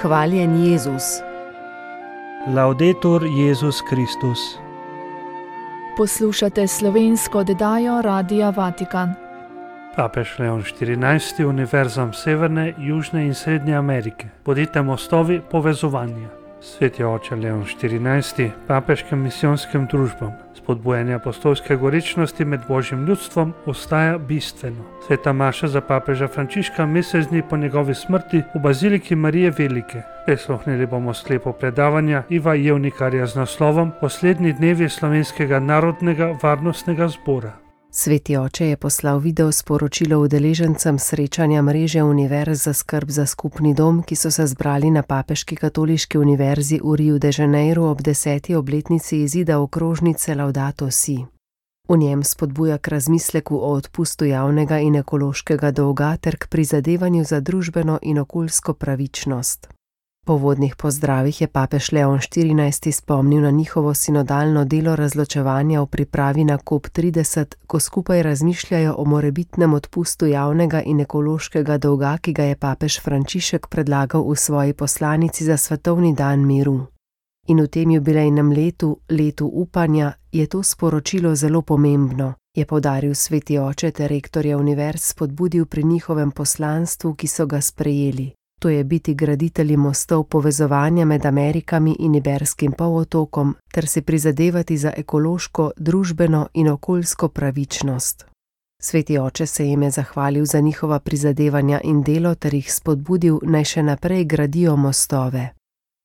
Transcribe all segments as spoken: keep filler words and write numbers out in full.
Hvaljen Jezus. Laudetur Jezus Kristus. Poslušate slovensko oddajo Radia Vatikan. Papež Leon štirinajsti univerzam Severne, Južne in Srednje Amerike. Bodite mostovi povezovanja. Sveti oče Leon štirinajsti papeškim misijonskim družbam spodbujanje apostolske gorečnosti med Božjim ljudstvom ostaja bistveno. Sveta maša za papeža Frančiška mesec dni po njegovi smrti v baziliki Marije Velike. Prisluhnili bomo sklepu predavanja Iva Jevnikarja z naslovom Poslednji dnevi Slovenskega narodnega varnostnega zbora. Sveti oče je poslal video sporočilo udeležencem srečanja mreže univerz za skrb za skupni dom, ki so se zbrali na Papeški katoliški univerzi v Riu de Janeiru ob deseti obletnici izida okrožnice Laudato Si. V njem spodbuja k razmisleku o odpustu javnega in ekološkega dolga ter k prizadevanju za družbeno in okoljsko pravičnost. Po vodnih pozdravih je papež Leon štirinajsti spomnil na njihovo sinodalno delo razločevanja v pripravi na kop trideset, ko skupaj razmišljajo o morebitnem odpustu javnega in ekološkega dolga, ki ga je papež Frančišek predlagal v svoji poslanici za svetovni dan miru. In v tem jubilejnem letu, letu upanja, je to sporočilo zelo pomembno, je poudaril sveti oče ter rektorje univerz spodbudil pri njihovem poslanstvu, ki so ga sprejeli. To je biti graditelji mostov povezovanja med Amerikami in Iberskim polotokom ter si prizadevati za ekološko, družbeno in okoljsko pravičnost. Sveti oče se jim je zahvalil za njihova prizadevanja in delo ter jih spodbudil, naj še naprej gradijo mostove.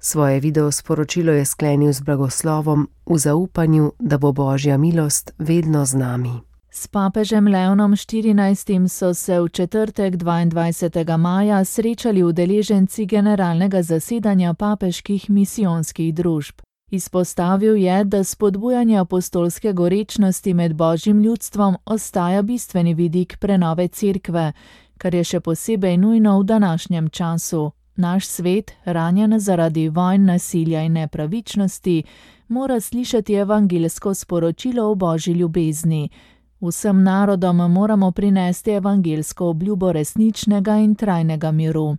Svoje video sporočilo je sklenil z blagoslovom v zaupanju, da bo Božja milost vedno z nami. S papežem Leonom štirinajstim so se v četrtek dvaindvajsetega maja srečali udeleženci generalnega zasedanja papeških misijonskih družb. Izpostavil je, da spodbujanje apostolske gorečnosti med Božjim ljudstvom ostaja bistveni vidik prenove cerkve, kar je še posebej nujno v današnjem času. Naš svet, ranjen zaradi vojn, nasilja in nepravičnosti, mora slišati evangeljsko sporočilo o Božji ljubezni. Vsem narodom moramo prinesti evangeljsko obljubo resničnega in trajnega miru.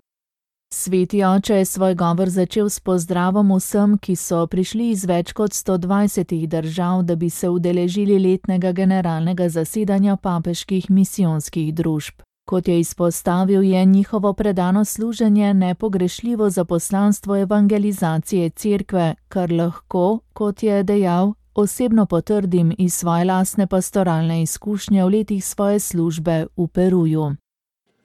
Sveti oče je svoj govor začel s pozdravom vsem, ki so prišli iz več kot sto dvajsetih držav, da bi se udeležili letnega generalnega zasedanja papeških misijonskih družb. Kot je izpostavil, je njihovo predano služenje nepogrešljivo za poslanstvo evangelizacije cerkve, kar lahko, kot je dejal, osebno potrdim iz svoje lastne pastoralne izkušnje v letih svoje službe v Peruju.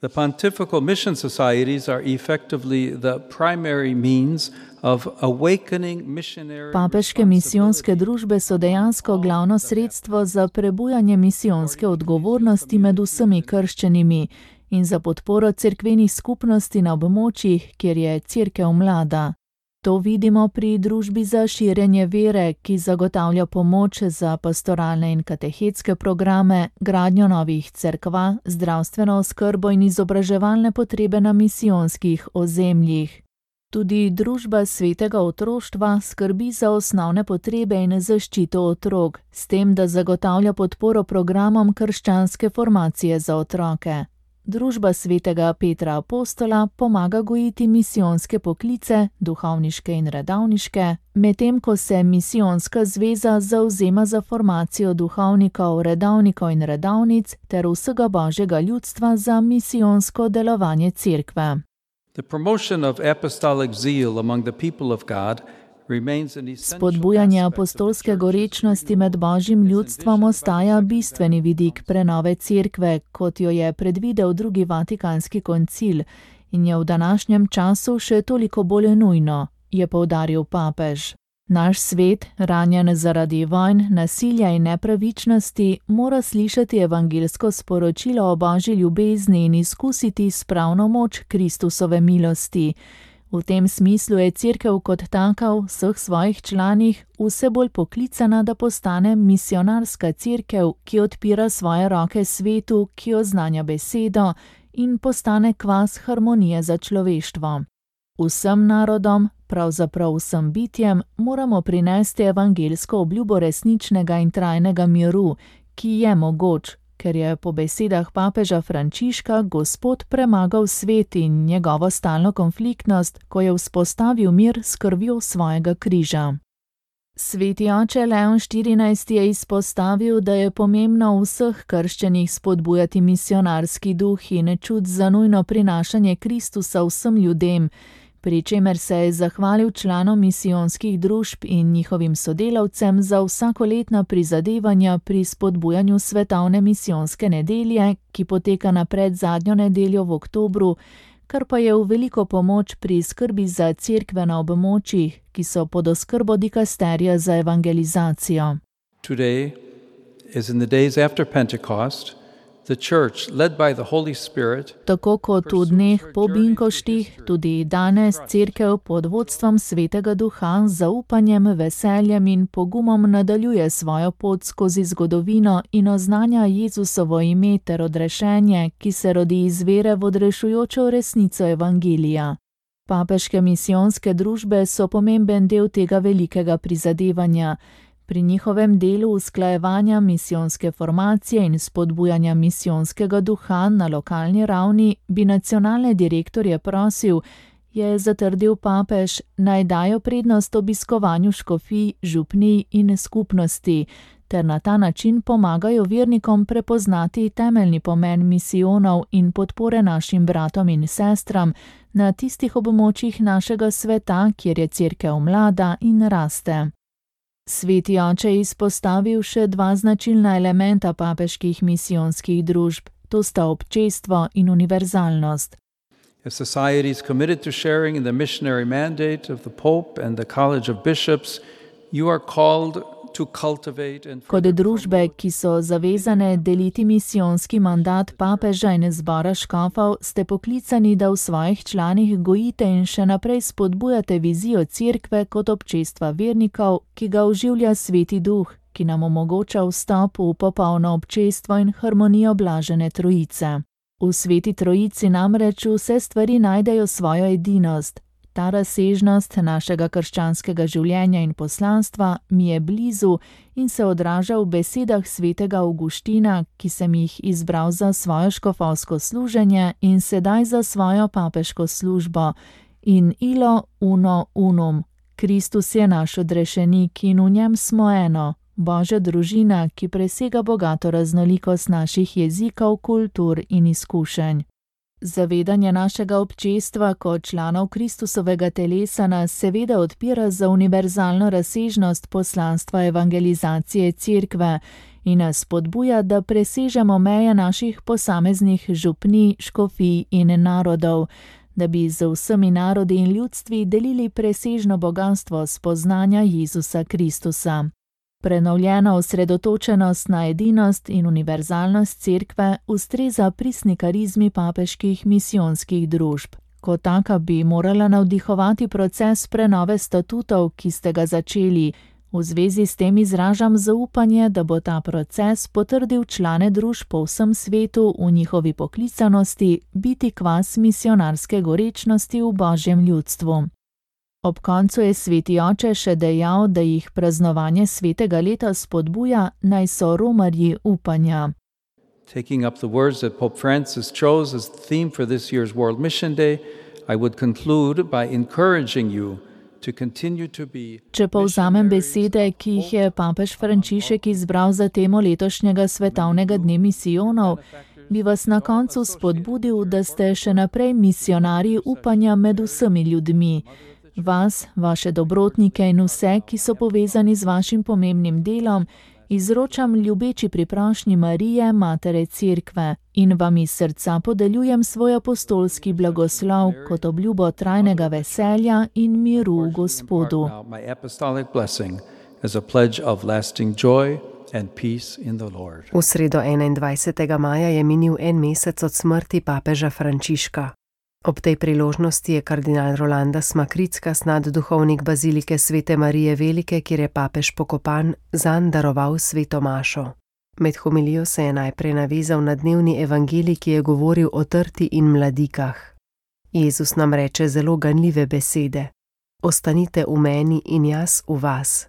The pontifical mission societies are effectively the primary means of awakening missionary. Papeške misijonske družbe so dejansko glavno sredstvo za prebujanje misijonske odgovornosti med vsemi krščenimi in za podporo cerkvenih skupnosti na območjih, kjer je cerkev mlada. To vidimo pri družbi za širjenje vere, ki zagotavlja pomoč za pastoralne in katehetske programe, gradnjo novih cerkva, zdravstveno oskrbo in izobraževalne potrebe na misijonskih ozemljih. Tudi družba svetega otroštva skrbi za osnovne potrebe in zaščito otrok, s tem, da zagotavlja podporo programom krščanske formacije za otroke. Družba svetega Petra Apostola pomaga gojiti misijonske poklice, duhovniške in redavniške, medtem ko se misijonska zveza zavzema za formacijo duhovnikov, redavnikov in redavnic ter vsega Božjega ljudstva za misijonsko delovanje cerkve. The promotion of apostolic zeal among the people of God Spodbujanje apostolske gorečnosti med Božjim ljudstvom ostaja bistveni vidik prenove cerkve, kot jo je predvidel drugi vatikanski koncil in je v današnjem času še toliko bolj nujno, je poudaril papež. Naš svet, ranjen zaradi vojn, nasilja in nepravičnosti, mora slišati evangeljsko sporočilo o Božji ljubezni in izkusiti spravno moč Kristusove milosti. V tem smislu je cerkev kot taka v vseh svojih članih vse bolj poklicana, da postane misionarska cerkev, ki odpira svoje roke svetu, ki oznanja besedo in postane kvas harmonije za človeštvo. Vsem narodom, pravzaprav vsem bitjem, moramo prinesti evangeljsko obljubo resničnega in trajnega miru, ki je mogoč, ker je po besedah papeža Frančiška Gospod premagal svet in njegovo stalno konfliktnost, ko je vzpostavil mir s krvjo svojega križa. Sveti oče Leon štirinajsti je izpostavil, da je pomembno v vseh krščenih spodbujati misionarski duh in čut za nujno prinašanje Kristusa vsem ljudem, pri čemer se je zahvalil članom misijonskih družb in njihovim sodelavcem za vsakoletna prizadevanja pri spodbujanju svetovne misijonske nedelje, ki poteka na predzadnjo nedeljo v oktobru, kar pa je v veliko pomoč pri skrbi za cerkve na območjih, ki so pod oskrbo dikasterija za evangelizacijo. Today, as in the days after Pentecost, the church, led by the Holy Spirit, Tako kot v dneh po binkoštih, tudi danes cerkev pod vodstvom Svetega Duha z zaupanjem, veseljem in pogumom nadaljuje svojo pot skozi zgodovino in oznanja Jezusovo ime ter odrešenje, ki se rodi iz vere v odrešujočo resnico evangelija. Papeške misijonske družbe so pomemben del tega velikega prizadevanja. Pri njihovem delu usklajevanja misijonske formacije in spodbujanja misijonskega duha na lokalni ravni bi nacionalne direktorje prosil, je zatrdil papež, naj dajo prednost obiskovanju škofij, župnij in skupnosti, ter na ta način pomagajo vernikom prepoznati temeljni pomen misijonov in podpore našim bratom in sestram na tistih območjih našega sveta, kjer je cerkev mlada in raste. Sveti oče je izpostavil še dva značilna elementa papeških misijonskih družb, to sta občestvo in univerzalnost. as societies committed to sharing in the missionary mandate of the Pope and the College of Bishops, you are called to cultivate and Kot družbe, ki so zavezane deliti misijonski mandat papeža in zbora škofov, ste poklicani, da v svojih članih gojite in še naprej spodbujate vizijo cerkve kot občestva vernikov, ki ga oživlja Sveti Duh, ki nam omogoča vstop v popolno občestvo in harmonijo blažene Trojice. V Sveti Trojici namreč vse stvari najdejo svojo edinost. Ta razsežnost našega krščanskega življenja in poslanstva mi je blizu in se odraža v besedah svetega Avguština, ki sem jih izbral za svojo škofovsko služenje in sedaj za svojo papeško službo. In ilo uno unum. Kristus je naš odrešenik in v njem smo eno. Božja družina, ki presega bogato raznolikost naših jezikov, kultur in izkušenj. Zavedanje našega občestva kot članov Kristusovega telesa nas seveda odpira za univerzalno razsežnost poslanstva evangelizacije cerkve in nas spodbuja, da presežemo meje naših posameznih župnij, škofij in narodov, da bi z vsemi narodi in ljudstvi delili presežno bogastvo spoznanja Jezusa Kristusa. Prenovljena osredotočenost na edinost in univerzalnost cerkve ustreza pristni karizmi papeških misijonskih družb. Kot taka bi morala navdihovati proces prenove statutov, ki ste ga začeli. V zvezi s tem izražam zaupanje, da bo ta proces potrdil člane družb po vsem svetu v njihovi poklicanosti biti kvas misionarske gorečnosti v Božjem ljudstvu. Ob koncu je Sveti oče še dejal, da jih praznovanje svetega leta spodbuja, naj so romarji upanja. Taking up the words that Pope Francis chose as the theme for this year's World Mission Day, I would conclude by encouraging you to continue to be. Če povzamem besede, ki jih je papež Frančišek izbral za temo letošnjega svetovnega dne misijonov, bi vas na koncu spodbudil, da ste še naprej misionarji upanja med vsemi ljudmi. Vas, vaše dobrotnike in vse, ki so povezani z vašim pomembnim delom, izročam ljubeči priprošnji Marije, Matere Cerkve, in vam iz srca podeljujem svoj apostolski blagoslov kot obljubo trajnega veselja in miru v Gospodu. V sredo enaindvajsetega maja je minil en mesec od smrti papeža Frančiška. Ob tej priložnosti je kardinal Rolandas Makrickas, nadduhovnik bazilike Svete Marije Velike, kjer je papež pokopan, zanj daroval sveto mašo. Med homilijo se je najprej navezal na dnevni evangelij, ki je govoril o trti in mladikah. Jezus nam reče zelo ganljive besede. Ostanite v meni in jaz v vas.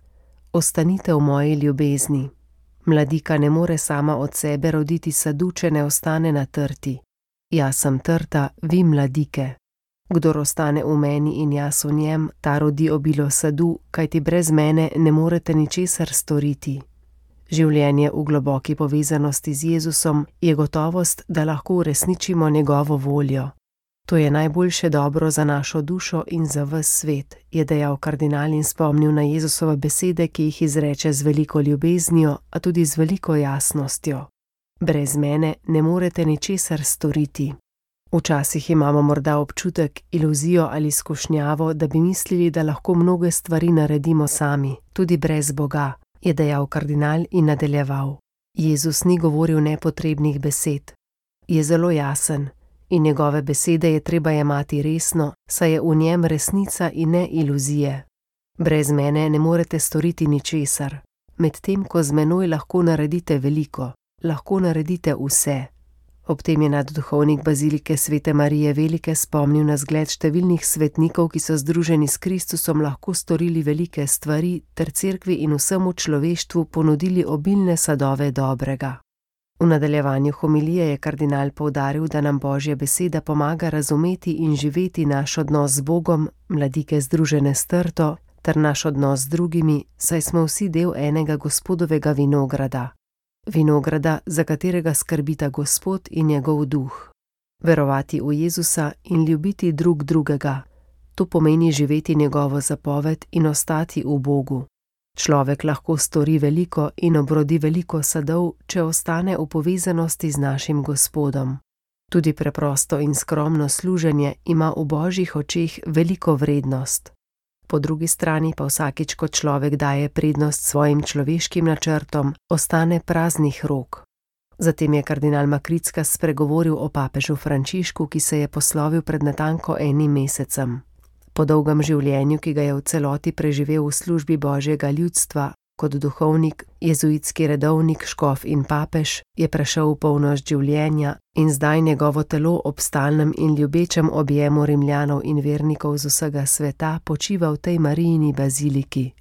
Ostanite v moji ljubezni. Mladika ne more sama od sebe roditi sadu, če ne ostane na trti. Jaz sem trta, vi mladike. Kdor ostane v meni in jaz v njem, ta rodi obilo sadu, kajti brez mene ne morete ničesar storiti. Življenje v globoki povezanosti z Jezusom je gotovost, da lahko uresničimo njegovo voljo. To je najboljše dobro za našo dušo in za ves svet, je dejal kardinal in spomnil na Jezusove besede, ki jih izreče z veliko ljubeznijo, a tudi z veliko jasnostjo. Brez mene ne morete ničesar storiti. Včasih imamo morda občutek, iluzijo ali skušnjavo, da bi mislili, da lahko mnoge stvari naredimo sami, tudi brez Boga, je dejal kardinal in nadaljeval. Jezus ni govoril nepotrebnih besed. Je zelo jasen in njegove besede je treba jemati resno, saj je v njem resnica in ne iluzije. Brez mene ne morete storiti ničesar, medtem ko z menoj lahko naredite veliko, lahko naredite vse. Ob tem je nadduhovnik bazilike Svete Marije Velike spomnil na zgled številnih svetnikov, ki so združeni s Kristusom lahko storili velike stvari ter cerkvi in vsemu človeštvu ponudili obilne sadove dobrega. V nadaljevanju homilije je kardinal poudaril, da nam Božja beseda pomaga razumeti in živeti naš odnos z Bogom, mladike združene s trto, ter naš odnos z drugimi, saj smo vsi del enega Gospodovega vinograda. Vinograda, za katerega skrbita Gospod in njegov duh. Verovati v Jezusa in ljubiti drug drugega, to pomeni živeti njegovo zapoved in ostati v Bogu. Človek lahko stori veliko in obrodi veliko sadov, če ostane v povezanosti z našim Gospodom. Tudi preprosto in skromno služenje ima v Božjih očeh veliko vrednost. Po drugi strani pa vsakič, ko človek daje prednost svojim človeškim načrtom, ostane praznih rok. Zatem je kardinal Makricka spregovoril o papežu Frančišku, ki se je poslovil pred natanko enim mesecem. Po dolgem življenju, ki ga je v celoti preživel v službi Božjega ljudstva, kot duhovnik, jezuitski redovnik, škof in papež, je prešel v polnost življenja in zdaj njegovo telo ob stalnem in ljubečem objemu Rimljanov in vernikov z vsega sveta počiva v tej Marijini baziliki.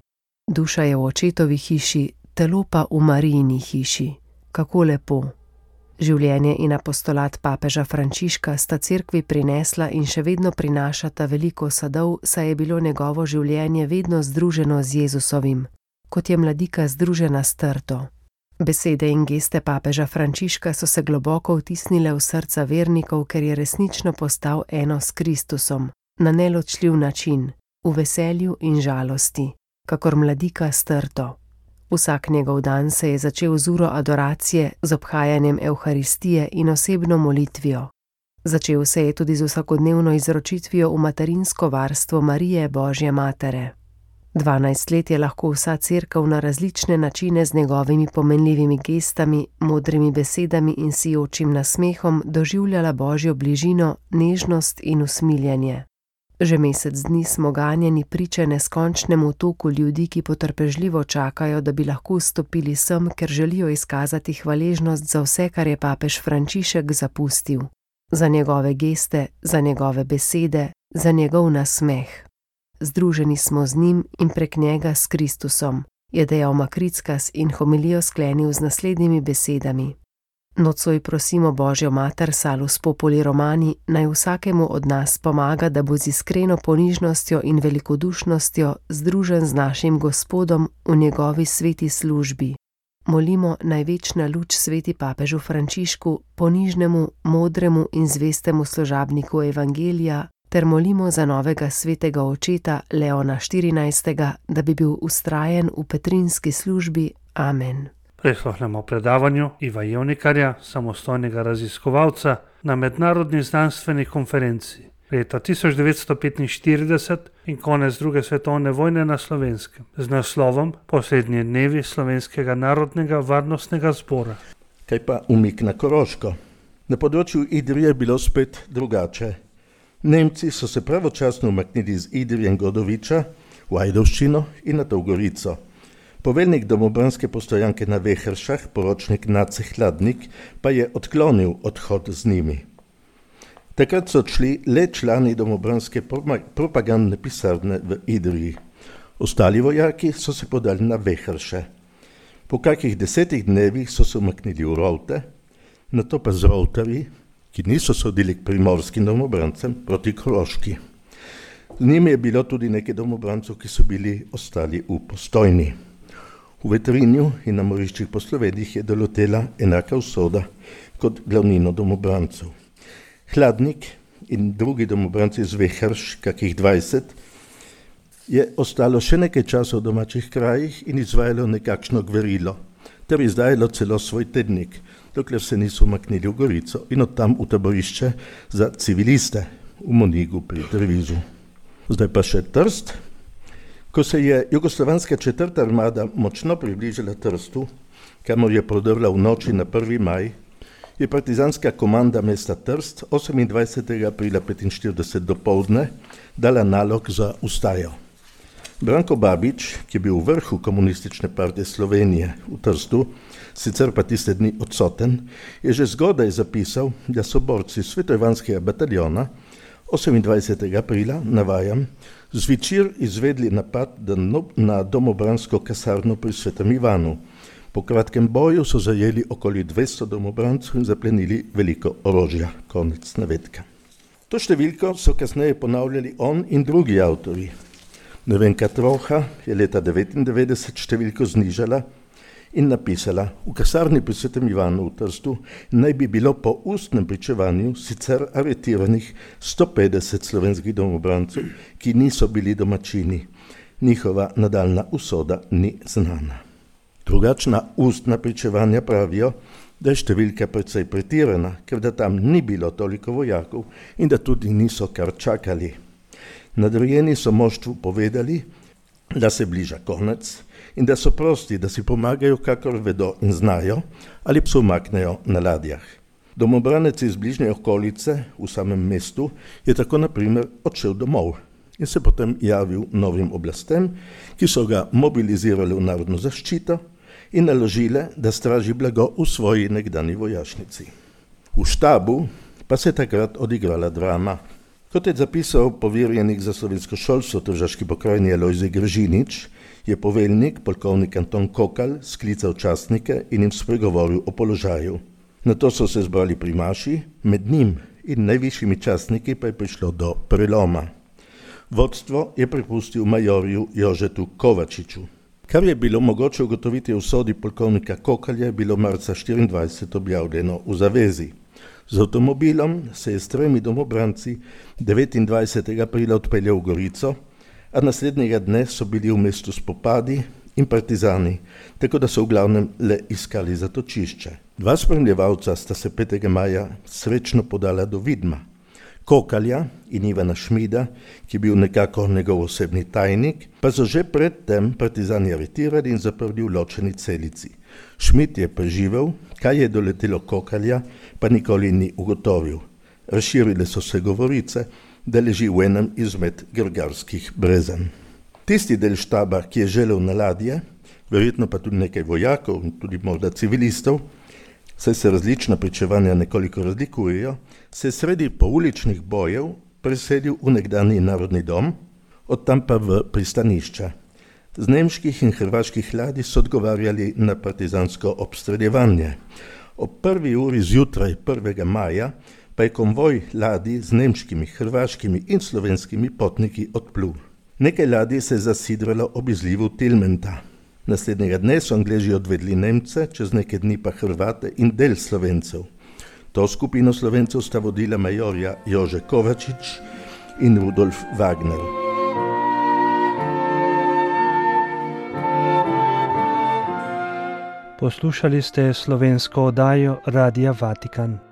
Duša je v očetovi hiši, telo pa v Marijini hiši. Kako lepo! Življenje in apostolat papeža Frančiška sta cerkvi prinesla in še vedno prinašata veliko sadov, saj je bilo njegovo življenje vedno združeno z Jezusovim, kot je mladika združena s trto. Besede in geste papeža Frančiška so se globoko vtisnile v srca vernikov, ker je resnično postal eno s Kristusom, na neločljiv način, v veselju in žalosti, kakor mladika s trto. Vsak njegov dan se je začel z uro adoracije, z obhajanjem Evharistije in osebno molitvijo. Začel se je tudi z vsakodnevno izročitvijo v materinsko varstvo Marije Božje matere. Dvanajst let je lahko vsa cerkev na različne načine z njegovimi pomenljivimi gestami, modrimi besedami in sijočim nasmehom doživljala Božjo bližino, nežnost in usmiljenje. Že mesec dni smo ganjeni priče neskončnemu toku ljudi, ki potrpežljivo čakajo, da bi lahko stopili sem, ker želijo izkazati hvaležnost za vse, kar je papež Frančišek zapustil. Za njegove geste, za njegove besede, za njegov nasmeh. Združeni smo z njim in prek njega s Kristusom, je dejal Makrickas in homilijo sklenil z naslednjimi besedami. Nocoj prosimo Božjo mater Salus Populi Romani, naj vsakemu od nas pomaga, da bo z iskreno ponižnostjo in velikodušnostjo združen z našim Gospodom v njegovi sveti službi. Molimo naj večna luč sveti papežu Frančišku, ponižnemu, modremu in zvestemu služabniku Evangelija, ter molimo za novega svetega očeta Leona štirinajstega, da bi bil vztrajen v petrinski službi. Amen. Prisluhnemo predavanju Iva Jevnikarja, samostojnega raziskovalca na mednarodni znanstveni konferenci leta tisoč devetsto petinštirideset in konec druge svetovne vojne na Slovenskem z naslovom Poslednji dnevi Slovenskega narodnega varnostnega zbora. Kaj pa umik na Koroško? Na področju Idrije je bilo spet drugače. Nemci so se pravočasno umaknili iz Idrije in Godoviča v Ajdovščino in na to v Gorico. Poveljnik domobranske postojanke na Vehršah, poročnik Nace Hladnik, pa je odklonil odhod z njimi. Takrat so odšli le člani domobranske propagandne pisarne v Idriji. Ostali vojaki so se podali na Vehrše. Po kakih desetih dnevih so se umaknili v Rolte, nato pa z Roltarji, ki niso sodili k primorskim domobrancem, proti Koroški. Z njimi je bilo tudi nekaj domobrancov, ki so bili ostali v Postojni. V Vetrinju in na moriščih po Sloveniji je dolotela enaka usoda kot glavnino domobrancov. Hladnik in drugi domobranci iz Vehrš, kakih dvajset, je ostalo še nekaj časa v domačih krajih in izvajalo nekakšno gverilo, ter izdajalo celo svoj tednik, dokler se niso umaknili v Gorico in od tam v taborišče za civiliste v Monigu pri Trevizu. Zdaj pa še Trst. Ko se je jugoslovanska četrta armada močno približala Trstu, kamor je prodrla v noči na prvi maj, je partizanska komanda mesta Trst osemindvajsetega aprila petinštirideset dopoldne dala nalog za ustajo. Branko Babič, ki je bil v vrhu komunistične partije Slovenije v Trstu, sicer pa tiste dni odsoten, je že zgodaj zapisal, da so borci Svetoivanskega bataljona osemindvajsetega aprila, navajam, zvečer izvedli napad na domobransko kasarno pri Svetem Ivanu. Po kratkem boju so zajeli okoli dvesto domobrancov in zaplenili veliko orožja. Konec navedka. To številko so kasneje ponavljali on in drugi avtori. Nevenka Troha je leta devetindevetdeset številko znižala in napisala, v kasarni pri Svetem Ivanu v Trstu naj bi bilo po ustnem pričevanju sicer aretiranih sto petdeset slovenskih domobrancov, ki niso bili domačini. Njihova nadaljna usoda ni znana. Drugačna ustna pričevanja pravijo, da je številka precej pretirana, ker da tam ni bilo toliko vojakov in da tudi niso kar čakali. Nadrejeni so moštvu povedali, da se bliža konec in da so prosti, da si pomagajo, kakor vedo in znajo, ali se umaknejo na ladjah. Domobranec iz bližnje okolice v samem mestu je tako na primer odšel domov in se potem javil novim oblastem, ki so ga mobilizirali v narodno zaščito in naložile, da straži blago v svoji nekdanji vojašnici. V štabu pa se je takrat odigrala drama. Kot je zapisal poverjenik za slovensko šolstvo v Tržaški pokrajini Alojzij Gržinič, je poveljnik, polkovnik Anton Kokal, sklical častnike in jim spregovoril o položaju. Nato so se zbrali pri maši, med njim in najvišjimi častniki pa je prišlo do preloma. Vodstvo je prepustil majorju Jožetu Kovačiču. Kar je bilo mogoče ugotoviti v sodi polkovnika Kokalja, je bilo marca štiriindvajset objavljeno v Zavezi. Z avtomobilom se je s tremi domobranci devetindvajsetega aprila odpeljal v Gorico, a naslednjega dne so bili v mestu spopadi in partizani, tako da so v glavnem le iskali zatočišče. Dva spremljevalca sta se petega maja srečno podala do Vidma. Kokalja in Ivana Šmida, ki je bil nekako njegov osebni tajnik, pa so že predtem partizani aretirali in zaprli v ločeni celici. Šmid je preživel, kaj je doletelo Kokalja, pa nikoli ni ugotovil. Razširile so se govorice, da leži v enem izmed grgarskih brezen. Tisti del štaba, ki je želel na ladje, verjetno pa tudi nekaj vojakov in tudi morda civilistov, saj se različna pričevanja nekoliko razlikujejo, se je sredi pouličnih bojev preselil v nekdanji narodni dom, od tam pa v pristanišče. Z nemških in hrvaških ladij so odgovarjali na partizansko obstreljevanje. Ob prvi uri zjutraj prvega maja pa je konvoj ladij z nemškimi, hrvaškimi in slovenskimi potniki odplul. Nekaj ladij se je zasidralo ob izlivu Tilmenta. Naslednjega dne so Angleži odvedli Nemce, čez nekaj dni pa Hrvate in del Slovencev. To skupino Slovencev sta vodila majorja Jože Kovačič in Rudolf Wagner. Poslušali ste slovensko oddajo Radia Vatikan.